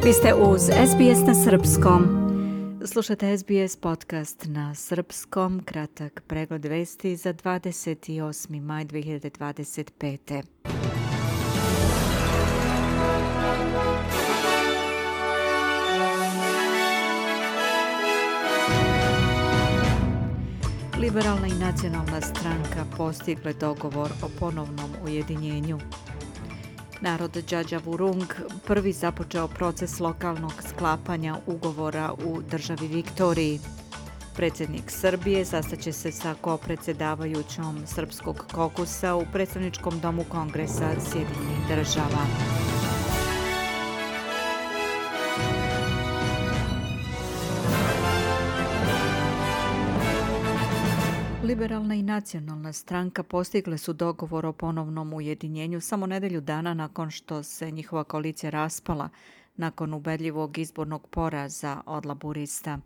Vi ste uz SBS na srpskom. Slušate SBS podcast na srpskom, kratak pregled vesti za 28. maj 2025. Liberalna i nacionalna stranka postigle dogovor o ponovnom ujedinjenju. Narod Djadjavurrung prvi započeo proces lokalnog sklapanja ugovora u državi Viktoriji. Predsjednik Srbije sastaće se sa kopredsjedavajućom Srpskog kokusa u predstavničkom domu Kongresa Sjedinjenih država. Liberalna i nacionalna stranka postigle su dogovor o ponovnom ujedinjenju samo nedelju dana nakon što se njihova koalicija raspala nakon ubedljivog izbornog poraza od laburista.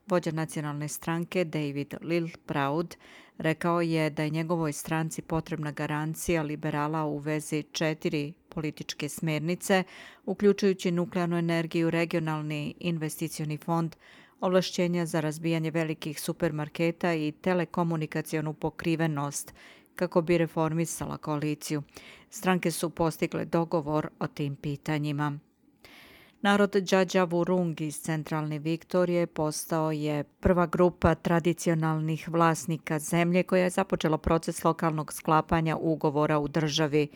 Vođa nacionalne stranke David Littleproud rekao je da je njegovoj stranci potrebna garancija liberala u vezi 4 političke smjernice, uključujući nuklearnu energiju, regionalni investicioni fond, ovlašćenja za razbijanje velikih supermarketa i telekomunikacionu pokrivenost kako bi reformisala koaliciju. Stranke su postigle dogovor o tim pitanjima. Narod Djadjavurrung iz centralne Viktorije postao je prva grupa tradicionalnih vlasnika zemlje koja je započela proces lokalnog sklapanja ugovora u državi.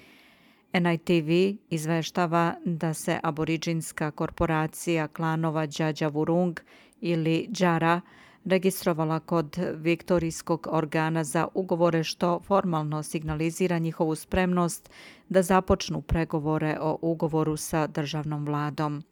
NITV izveštava da se aboriđinska korporacija klanova Djadjavurrung ili Djara registrovala kod viktorijskog organa za ugovore što formalno signalizira njihovu spremnost da započnu pregovore o ugovoru sa državnom vladom.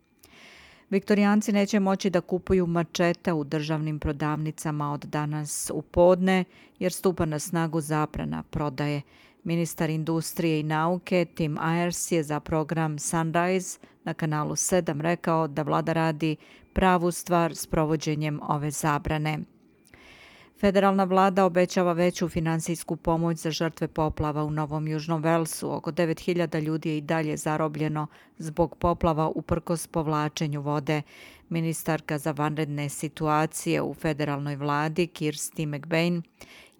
Viktorijanci neće moći da kupuju mačete u državnim prodavnicama od danas u podne jer stupa na snagu zabrana prodaje. Ministar industrije i nauke Tim Ayers je za program Sunrise na kanalu 7 rekao da vlada radi pravu stvar s provođenjem ove zabrane. Federalna vlada obećava veću finansijsku pomoć za žrtve poplava u Novom Južnom Velsu. Oko 9.000 ljudi je i dalje zarobljeno zbog poplava uprkos povlačenju vode. Ministarka za vanredne situacije u federalnoj vladi Kirsty McBain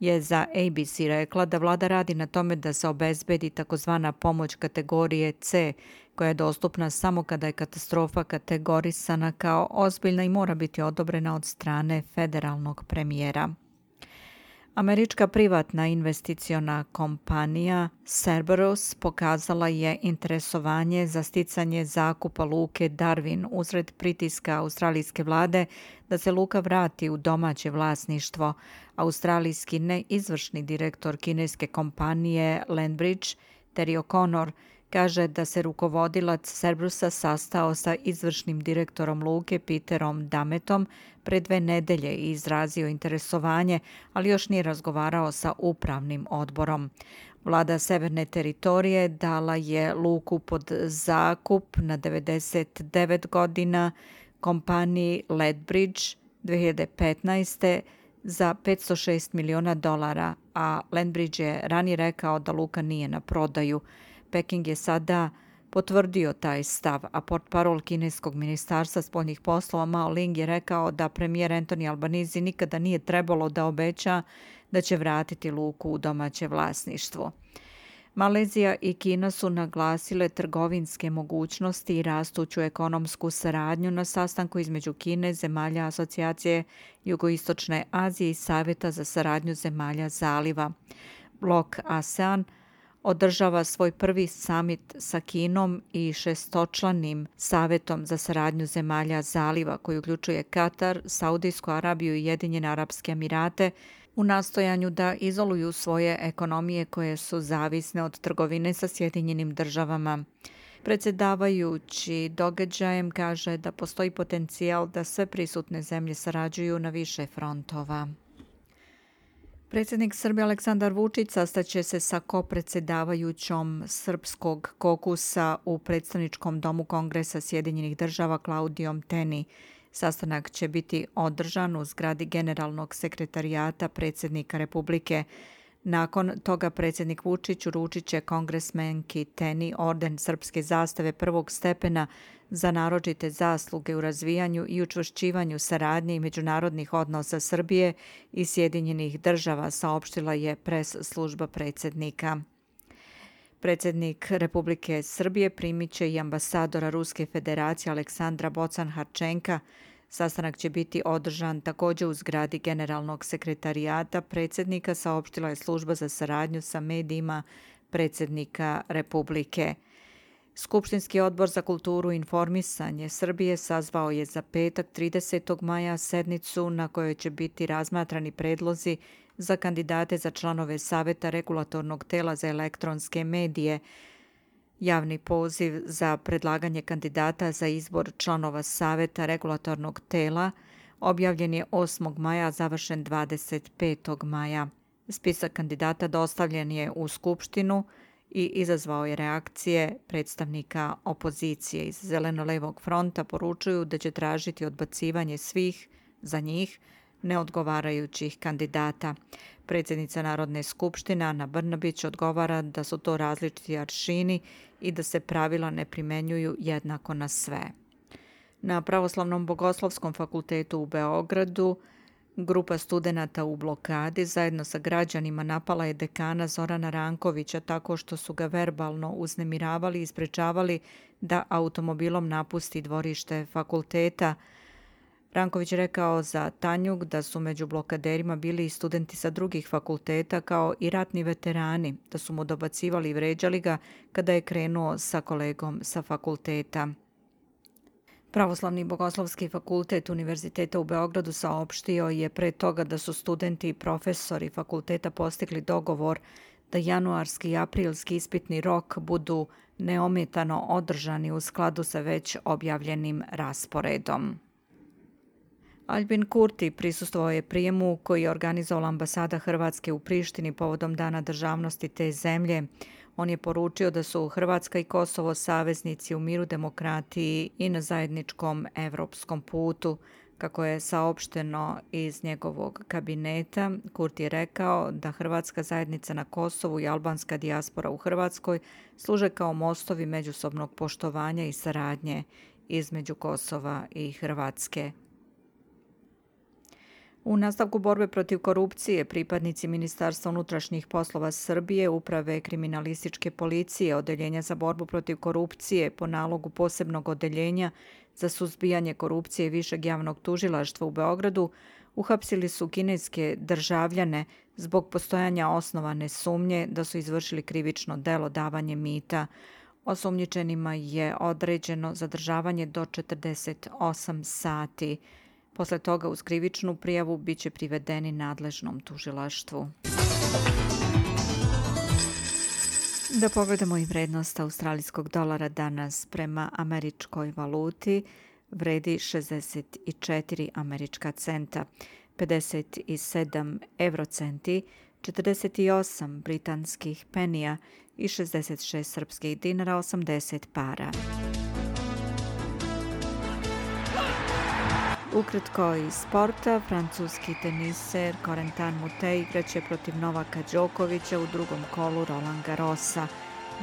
je za ABC rekla da vlada radi na tome da se obezbedi takozvana pomoć kategorije C, koja je dostupna samo kada je katastrofa kategorisana kao ozbiljna i mora biti odobrena od strane federalnog premijera. Američka privatna investiciona kompanija Cerberus pokazala je interesovanje za sticanje zakupa luke Darwin usred pritiska australijske vlade da se luka vrati u domaće vlasništvo. Australijski neizvršni direktor kineske kompanije Landbridge, Terry O'Connor, kaže da se rukovodilac Cerberusa sastao sa izvršnim direktorom luke Peterom Dametom pre 2 nedelje i izrazio interesovanje, ali još nije razgovarao sa upravnim odborom. Vlada Severne teritorije dala je luku pod zakup na 99 godina kompaniji Lethbridge 2015. za $506 miliona, a Landbridge je ranije rekao da luka nije na prodaju. Peking je sada potvrdio taj stav, a portparol kineskog ministarstva spoljnih poslova Mao Ling je rekao da premijer Anthony Albanese nikada nije trebalo da obeća da će vratiti luku u domaće vlasništvo. Malezija i Kina su naglasile trgovinske mogućnosti i rastuću ekonomsku saradnju na sastanku između Kine, zemalja asocijacije Jugoistočne Azije i Savjeta za saradnju zemalja zaliva. Blok ASEAN održava svoj prvi samit sa Kinom i 6-članim savjetom za saradnju zemalja zaliva koji uključuje Katar, Saudijsku Arabiju i Ujedinjene Arapske Emirate u nastojanju da izoluju svoje ekonomije koje su zavisne od trgovine sa Sjedinjenim državama. Predsjedavajući događajem kaže da postoji potencijal da sve prisutne zemlje sarađuju na više frontova. Predsjednik Srbije Aleksandar Vučić sastaće se sa kopredsjedavajućom Srpskog kokusa u predstavničkom domu Kongresa Sjedinjenih država Klaudijom Teni. Sastanak će biti održan u zgradi Generalnog sekretarijata predsjednika Republike. Nakon toga predsjednik Vučić uručit će kongresmenki Teni orden srpske zastave prvog stepena za naročite zasluge u razvijanju i učvršćivanju saradnje i međunarodnih odnosa Srbije i Sjedinjenih država, saopštila je pres služba predsjednika. Predsjednik Republike Srbije primit će i ambasadora Ruske federacije Aleksandra Bocan-Harčenka. Sastanak će biti održan također u zgradi Generalnog sekretarijata predsjednika, saopštila je služba za saradnju sa medijima predsjednika Republike. Skupštinski odbor za kulturu i informisanje Srbije sazvao je za petak 30. maja sednicu na kojoj će biti razmatrani predlozi za kandidate za članove Saveta regulatornog tela za elektronske medije. Javni poziv za predlaganje kandidata za izbor članova Saveta regulatornog tela objavljen je 8. maja, a završen 25. maja. Spisak kandidata dostavljen je u Skupštinu i izazvao je reakcije predstavnika opozicije. Iz Zeleno-levog fronta poručuju da će tražiti odbacivanje svih za njih neodgovarajućih kandidata. Predsjednica Narodne skupštine Ana Brnabić odgovara da su to različiti aršini i da se pravila ne primenjuju jednako na sve. Na Pravoslavnom bogoslovskom fakultetu u Beogradu grupa studenata u blokadi zajedno sa građanima napala je dekana Zorana Rankovića tako što su ga verbalno uznemiravali i sprečavali da automobilom napusti dvorište fakulteta. Ranković je rekao za Tanjug da su među blokaderima bili i studenti sa drugih fakulteta kao i ratni veterani, da su mu dobacivali i vređali ga kada je krenuo sa kolegom sa fakulteta. Pravoslavni bogoslovski fakultet Univerziteta u Beogradu saopštio je pre toga da su studenti i profesori fakulteta postigli dogovor da januarski i aprilski ispitni rok budu neometano održani u skladu sa već objavljenim rasporedom. Albin Kurti prisustvovao je prijemu koji je organizovala ambasada Hrvatske u Prištini povodom Dana državnosti te zemlje. On je poručio da su Hrvatska i Kosovo saveznici u miru, demokratiji i na zajedničkom evropskom putu. Kako je saopšteno iz njegovog kabineta, Kurti je rekao da Hrvatska zajednica na Kosovu i albanska dijaspora u Hrvatskoj služe kao mostovi međusobnog poštovanja i saradnje između Kosova i Hrvatske. U nastavku borbe protiv korupcije, pripadnici Ministarstva unutrašnjih poslova Srbije, Uprave kriminalističke policije, Odeljenja za borbu protiv korupcije po nalogu posebnog odeljenja za suzbijanje korupcije Višeg javnog tužilaštva u Beogradu uhapsili su kineske državljane zbog postojanja osnovane sumnje da su izvršili krivično delo davanje mita. Osumnjičenima je određeno zadržavanje do 48 sati. Posle toga uz krivičnu prijavu bit će privedeni nadležnom tužilaštvu. Da pogledamo i vrednost australijskog dolara danas prema američkoj valuti vredi 64 američka centa, 57 eurocenti, 48 britanskih penija i 66 srpskih dinara 80 para. Ukratko iz sporta, francuski teniser Corentin Moutet igraće protiv Novaka Đokovića u drugom kolu Roland Garrosa.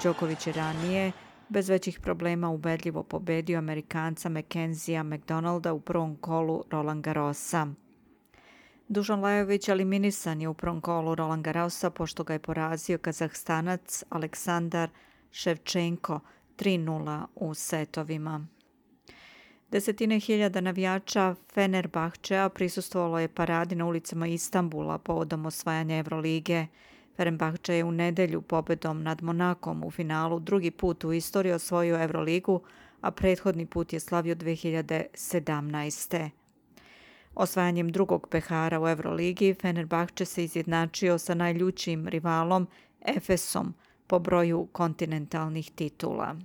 Đoković je ranije bez većih problema ubedljivo pobedio Amerikanca Mackenzija McDonalda u prvom kolu Roland Garrosa. Dušan Lajović eliminisan je u prvom kolu Roland Garrosa pošto ga je porazio Kazahstanac Aleksandar Ševčenko 3:0 u setovima. Desetine hiljada navijača Fenerbahčea prisustvovalo je paradi na ulicama Istanbula povodom osvajanja Evrolige. Fenerbahče je u nedelju pobedom nad Monakom u finalu drugi put u istoriji osvojio Evroligu, a prethodni put je slavio 2017. Osvajanjem drugog pehara u Evroligi, Fenerbahče se izjednačio sa najljućim rivalom Efesom po broju kontinentalnih titula.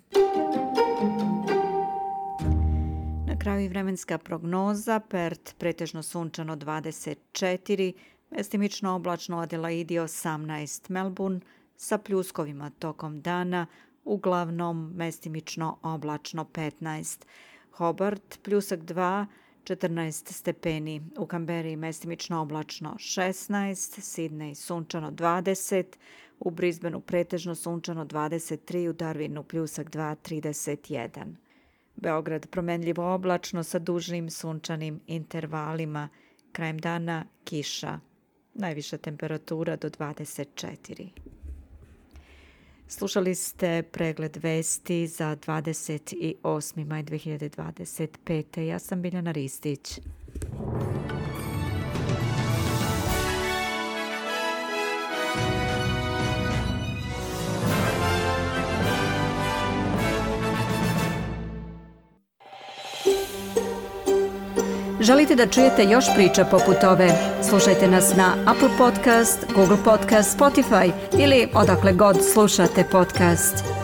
Na kraju i vremenska prognoza, Perth pretežno sunčano 24, mestimično oblačno Adelaidi 18, Melbourne sa pljuskovima tokom dana, uglavnom mestimično oblačno 15, Hobart pljusak 2, 14 stepeni, u Kamberi mestimično oblačno 16, Sidney sunčano 20, u Brisbaneu pretežno sunčano 23, u Darwinu pljusak 2, 31. Beograd promenljivo oblačno sa dužnim sunčanim intervalima, krajem dana kiša, najviša temperatura do 24. Slušali ste pregled vesti za 28. maj 2025. Ja sam Biljana Ristić. Želite da čujete još priča poput ove? Slušajte nas na Apple Podcast, Google Podcast, Spotify ili odakle god slušate podcast.